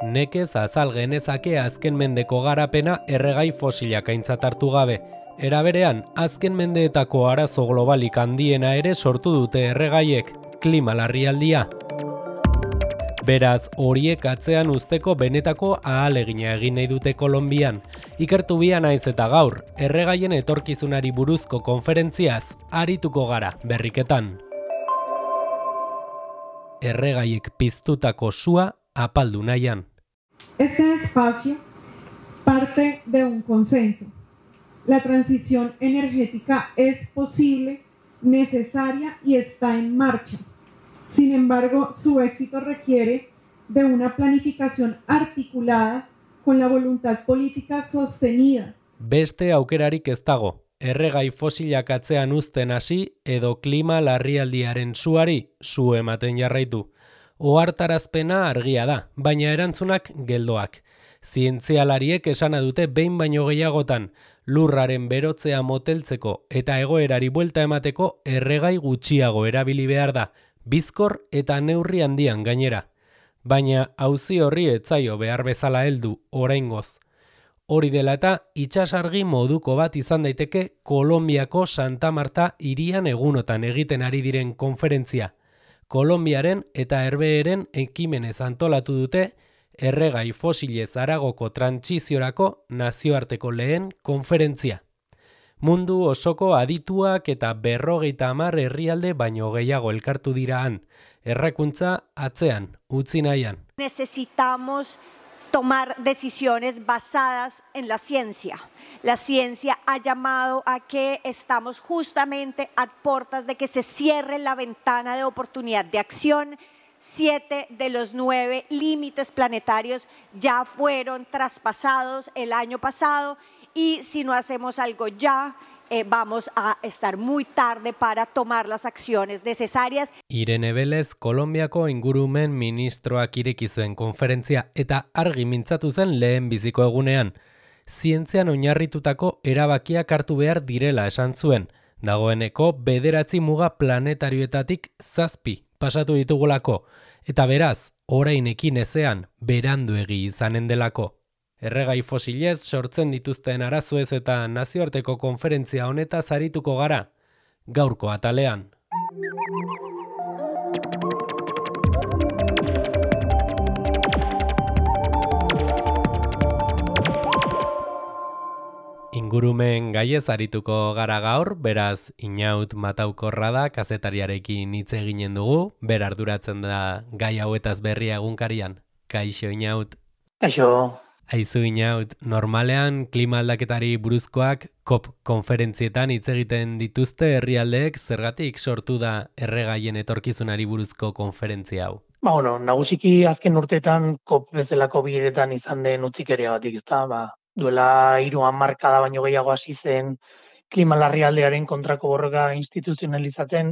Nekez azal genezake azken mendeko garapena erregai fosilak aintzat hartu gabe. Era berean, azken mendeetako arazo globalik handiena ere sortu dute erregaiek, klima larrialdia. Beraz, horiek atzean uzteko benetako ahalegina egin nahi dute Kolonbian. Ikertu bia naiz eta gaur, erregaien etorkizunari buruzko konferentziaz arituko gara berriketan. Erregaiek piztutako sua apaldu nahian. Este espacio parte de un consenso. La transición energética es posible, necesaria y está en marcha. Sin embargo, su éxito requiere de una planificación articulada con la voluntad política sostenida. Beste aukerarik ez dago. Erregai fosilak atzean uzten hasi edo klima larrialdiaren suari su ematen jarraitu. Ohartarazpena argia da, baina erantzunak geldoak. Zientzialariek esana dute behin baino gehiagotan, lurraren berotzea moteltzeko eta egoerari buelta emateko erregai gutxiago erabili behar da, bizkor eta neurri handian gainera. Baina auzi horri ez zaio behar bezala heldu oraingoz. Hori dela eta itsasargi moduko bat izan daiteke Kolonbiako Santa Marta hirian egunotan egiten ari diren konferentzia. Kolonbiaren eta Herbeeren ekimenez antolatu dute erregai fosilez haragoko trantsiziorako nazioarteko lehen konferentzia. Mundu osoko adituak eta 50 herrialde baino gehiago elkartu dira han, errekuntza atzean, utzi nahian. Necesitamos tomar decisiones basadas en la ciencia. La ciencia ha llamado a que estamos justamente a puertas de que se cierre la ventana de oportunidad de acción. 7 de los 9 límites planetarios ya fueron traspasados el año pasado y si no hacemos algo ya, vamos a estar muy tarde para tomar las acciones necesarias. Irene Vélez, Kolonbiako ingurumen ministroak ireki zuen konferentzia eta argi mintzatu zen lehen biziko egunean. Zientzian oinarritutako erabakiak hartu behar direla esan zuen. Dagoeneko 9 muga planetarioetatik 7 pasatu ditugulako, eta beraz, orainekin ezean beranduegi izanen delako. Erregai fosilez sortzen dituzten arazoez eta nazioarteko konferentzia honetaz arituko gara, gaurko atalean. Ingurumen gaiez arituko gara gaur, beraz Inaut Mataukorra da kazetariarekin hitz eginen dugu, ber arduratzen da gai hauetaz berria egunkarian. Kaixo Inaut. Kaixo. Aizu Inaut, normalean klima aldaketari buruzkoak COP konferentzietan hitz egiten dituzte herrialdeek, zergatik sortu da erregaien etorkizunari buruzko konferentzia hau? Nagusiki azken urteetan COP bezalako bileretan izan den utzikeria batik, ezta? Duela 3 hamarkada baino gehiago hasi zen klima larrialdiaren kontrako borroka instituzionalizatzen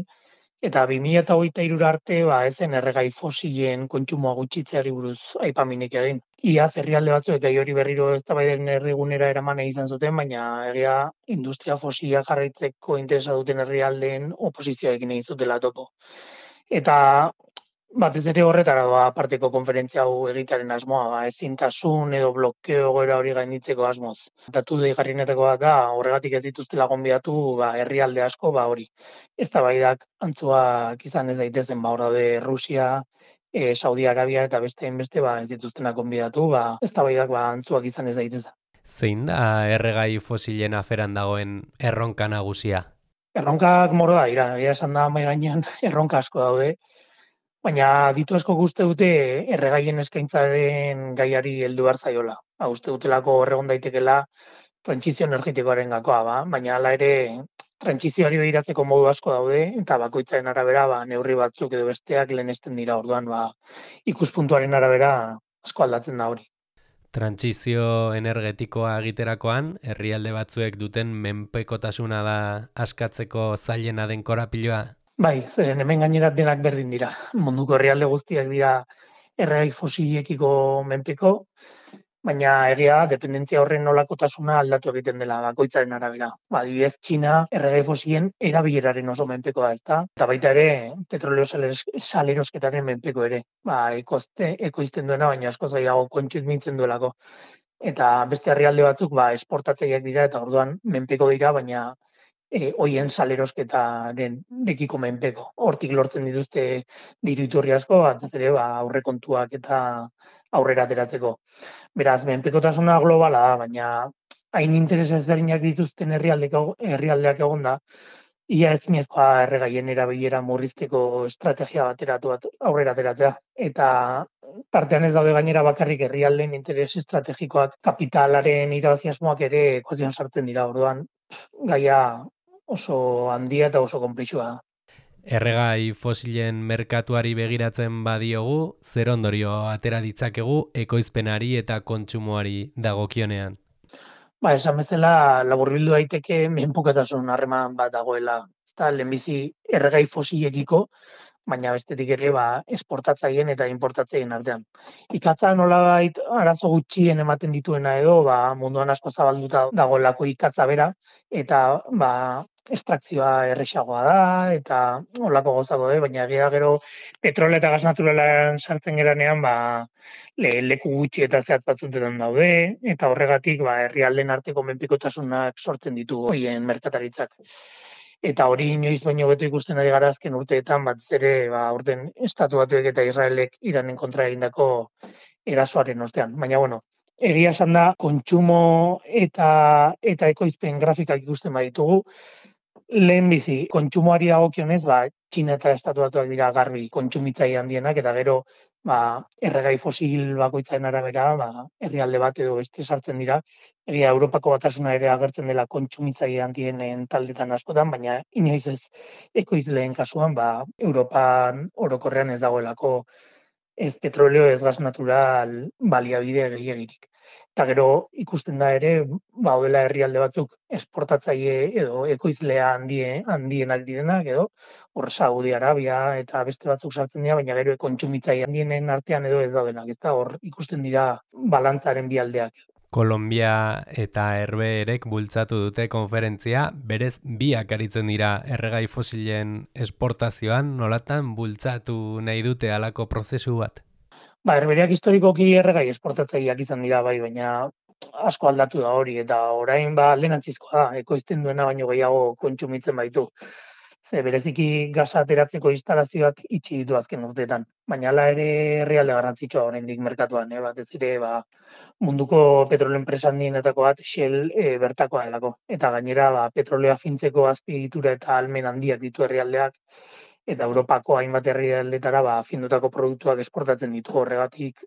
eta 2023 arte ez zen erregai fosilen kontsumoa gutxitzeari buruz aipaminik egin. Iaz herrialde batzuek gai hori berriro eztabaiden erdigunera eraman izan zuten, baina egia industria fosila jarraitzeko interesa duten herrialdeen oposizioekin egin zutela topo. Eta batez ere horretara aparteko konferentzia hau egitearen asmoa, ezintasun edo blokeo egoera hori gainditzeko asmoz. Datu deigarrienetako bat da, horregatik ez dituztela gonbidatu herrialde asko hori. Eztabaidak antzuak izan ez daitezen, hor daude Rusia, Saudi Arabia eta beste ez dituztenak gonbidatu, eztabaidak antzuak izan ez daitezen. Zein da erregai fosilen aferan dagoen erronka nagusia? Erronkak mordoa dira, esan da mahai gainean erronka asko daude. Baina ditu asko uste dute erregaien eskaintzaren gaiari heldu behar zaiola. Uste dutelako horregon daitekela trantsizio energetikoaren gakoa, baina hala ere trantsizioari behiratzeko modu asko daude eta bakoitzaren arabera neurri batzuk edo besteak lehenesten dira, orduan ikuspuntuaren arabera asko aldatzen da hori. Trantsizio energetikoa egiterakoan, herrialde batzuek duten menpekotasuna da askatzeko zailena den korapiloa? Bai, zeren hemen gainera denak berdin dira. Munduko herrialde guztiak dira erregai fosilekiko menpeko, baina egia da, dependentzia horren nolakotasuna aldatu egiten dela bakoitzaren arabera. Adibidez, Txina erregai fosilen erabileraren oso menpekoa, ezta? Eta baita ere, petrolio salerosketaren menpeko ere. Ekoizten duena, baina askoz gehiago kontsumitzen duelako. Eta beste herrialde batzuk esportatzaileak dira eta orduan menpeko dira, baina hoien salerosketaren dekiko menpeko. Hortik lortzen dituzte diru iturri asko, batez ere aurrekontuak eta aurrera ateratzeko. Beraz, menpekotasuna globala da, baina hain interes ezberdinak dituzten herrialdeak egonda, ia ezinezkoa erregaien erabilera murrizteko estrategia aurrera ateratzea. Eta tartean ez daude gainera bakarrik herrialdeen interes estrategikoak, kapitalaren irabazi asmoak ere ekuazioan sartzen dira. Orduan, gaia oso handia eta oso konplexua da. Erregai fosilen merkatuari begiratzen badiogu, zer ondorio atera ditzakegu ekoizpenari eta kontsumoari dagokionean? Esan bezala laburbildu daiteke menpekotasun harreman bat dagoela. Eta lehenbizi erregai fosilekiko, baina bestetik ere esportatzaileen eta importatzaileen artean. Ikatza nolabait arazo gutxien ematen dituena edo munduan asko zabalduta dagoelako ikatza bera eta estrakzioa erresagoa da eta holako gozako baina egia gero petrolio eta gas naturalean sartzen geranean leku gutxi eta zehatz batzuetan daude eta horregatik herrialdeen arteko menpekotasunak sortzen ditu horien merkataritzak. Eta hori inoiz baino beto ikusten ari gara azken urteetan batez ere aurten Estatu Batuek eta Israelek Iranen kontra egindako erasoaren ostean. Baina egia esan da kontsumo eta ekoizpen grafikak ikusten baditugu, lehenbizi kontsumoari dagokionez, Txina eta Estatu Batuak dira garbi kontsumitzaile handienak eta gero erregai fosil bakoitzaren arabera herrialde bat edo beste sartzen dira. Egia Europako Batasuna ere agertzen dela kontsumitzaile handienen taldetan askotan, baina inoiz ez ekoizleen kasuan Europan orokorrean ez dagoelako ez petrolio ez gas natural baliabide gehiegirik. Eta gero ikusten da ere, daudela herrialde batzuk esportatzaile edo ekoizlea handienak direnak edo, hor Saudi Arabia eta beste batzuk sartzen dira, baina gero kontsumitzaile handienen artean edo ez daudenak, ezta hor ikusten dira balantzaren bi aldeak. Kolombia eta Herbeherek bultzatu dute konferentzia, berez biak aritzen dira erregai fosilen esportazioan, nolatan bultzatu nahi dute halako prozesu bat? Herbehereak historikoki erregai esportatzaileak izan dira baina asko aldatu da hori eta orain alderantzizkoa da, ekoizten duena baino gehiago kontsumitzen baitu. Ze bereziki gasa ateratzeko instalazioak itxi ditu azken urteetan, baina hala ere herrialde garrantzitsua oraindik merkatuan, batez ere munduko petrolio enpresa handienetako bat Shell bertakoa delako eta gainera petrolioa fintzeko azpiegitura eta ahalmen handiak ditu herrialdeak eta Europako hainbat herrialdetara findutako produktuak esportatzen ditu. Horregatik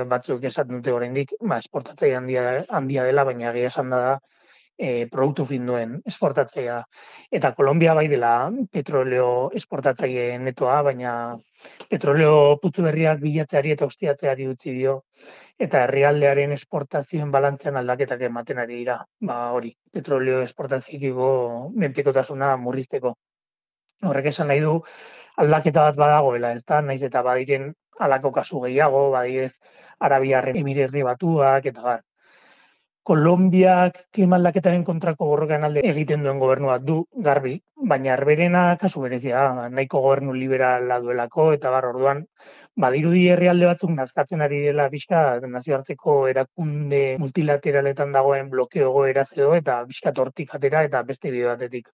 batzuk esaten dute oraindik esportatzaile handia dela, baina egia esan da produktu finduen esportatzailea. Eta Kolombia bai dela petrolio esportatzaile netoa, baina petrolio putzu berriak bilatzeari eta ustiatzeari utzi dio eta herrialdearen esportazioen balantzean aldaketak ematen ari dira. Hori, petrolio esportazioekiko menpekotasuna murrizteko. Horrek esan nahi du aldaketa bat badagoela, ezta? Naiz eta badiren halako kasu gehiago, badidez Arabiar Emirerri Batuak eta bar. Kolombiak klima aldaketaren kontrako borrokan alde egiten duen gobernu bat du garbi, baina Herbeherena kasu berezia, nahiko gobernu liberala duelako eta orduan badirudi herrialde batzuk nazkatzen ari dela pixka nazioarteko erakunde multilateraletan dagoen blokeo egoera edo eta pixka hortik atera eta beste bide batetik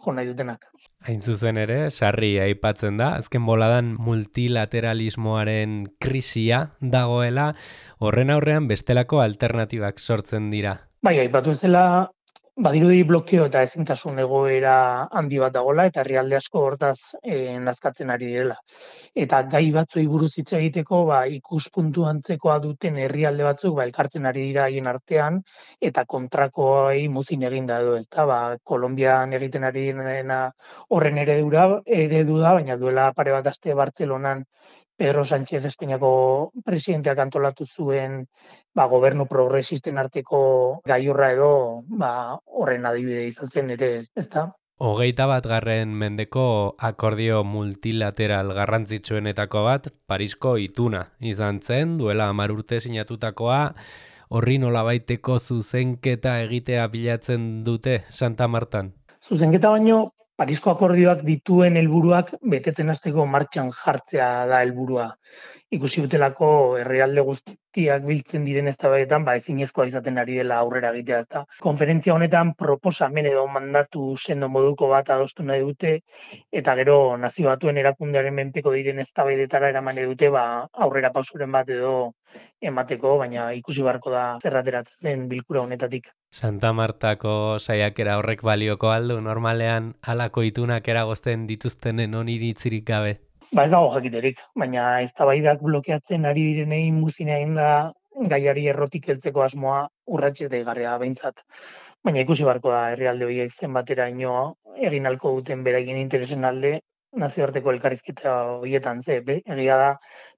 jo nahi dutenak. Hain zuzen ere, sarri aipatzen da, azken boladan multilateralismoaren krisia dagoela, horren aurrean bestelako alternatibak sortzen dira. Aipatu ezela, badirudi blokeo eta ezintasun egoera handi bat dagoela eta herrialde asko hortaz nazkatzen ari direla. Eta gai batzuei buruz hitz egiteko ikuspuntu antzekoa duten herrialde batzuk elkartzen ari dira haien artean eta kontrakoei muzin eginda edo, ezta? Kolonbian egiten ari direna horren eredu da, baina duela pare bat aste Bartzelonan Pedro Sánchez Espainiako presidenteak antolatu zuen gobernu progresisten arteko gailurra edo horren adibide izan zen ere, ezta? 21. mendeko akordio multilateral garrantzitsuenetako bat Parisko ituna izan zen, duela 10 urte sinatutakoa, horri nolabaiteko zuzenketa egitea bilatzen dute Santa Martan. Zuzenketa baino, Parisko akordioak dituen helburuak betetzen hasteko martxan jartzea da helburua. Ikusi dutelako herrialde guztiak biltzen diren eztabaidetan, ezinezkoa izaten ari dela aurrera egitea, ezta. Konferentzia honetan proposamen edo mandatu sendo moduko bat adostu nahi dute, eta gero Nazio Batuen erakundearen menpeko diren eztabaidetara eraman nahi dute, aurrera pausuren bat edo emateko, baina ikusi beharko da zer ateratzen den bilkura honetatik. Santa Martako saiakera horrek balioko aldu, normalean halako itunak eragozten dituztenen oniritzirik gabe. Ez dago jakiterik, baina eztabaidak blokeatzen ari direnei muzin egin da gaiari errotik heltzeko asmoa urrats deigarria behintzat. Baina ikusi beharko da herrialde horiek zenbateraino egin ahalko duten beraien interesen alde nazioarteko elkarrizketa horietan egia da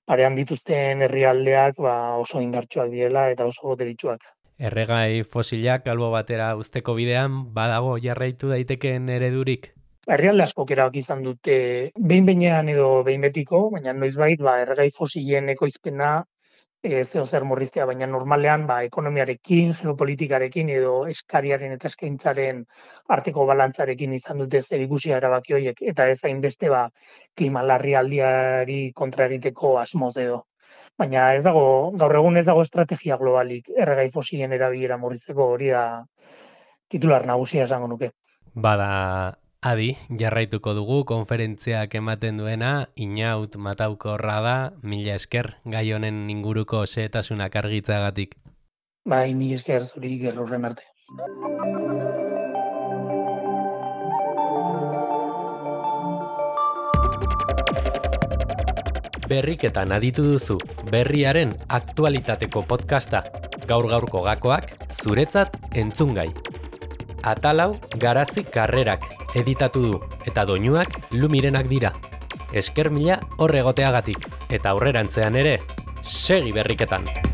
parean dituzten herrialdeak oso indartsuak direla eta oso boteritsuak. Erregai fosilak albo batera uzteko bidean badago jarraitu daitekeen eredurik? Herrialde askok erabaki izan dute behin-behinean edo behin betiko, baina noizbait erregai fosilen ekoizpena zer murriztea, baina normalean ekonomiarekin, geopolitikarekin edo eskariaren eta eskaintzaren arteko balantzarekin izan dute zerikusia erabaki horiek, eta ez hainbeste klima larrialdiari kontra egiteko asmoz edo. Baina gaur egun ez dago estrategia globalik erregai fosilen erabilera murrizteko, hori da titular nagusia esango nuke. Bada adi, jarraituko dugu konferentziak ematen duena, Inaut Mataukorra da, mila esker gai honen inguruko xehetasunak argitzagatik. Mila esker zuri gerrurren arte. Berriketan aditu duzu, berriaren aktualitateko podcasta, gaur-gaurko gakoak zuretzat entzungai. Atalau Garazi Karrerak editatu du, eta doinuak Lumirenak dira. Esker mila hor egoteagatik, eta aurrerantzean ere, segi berriketan!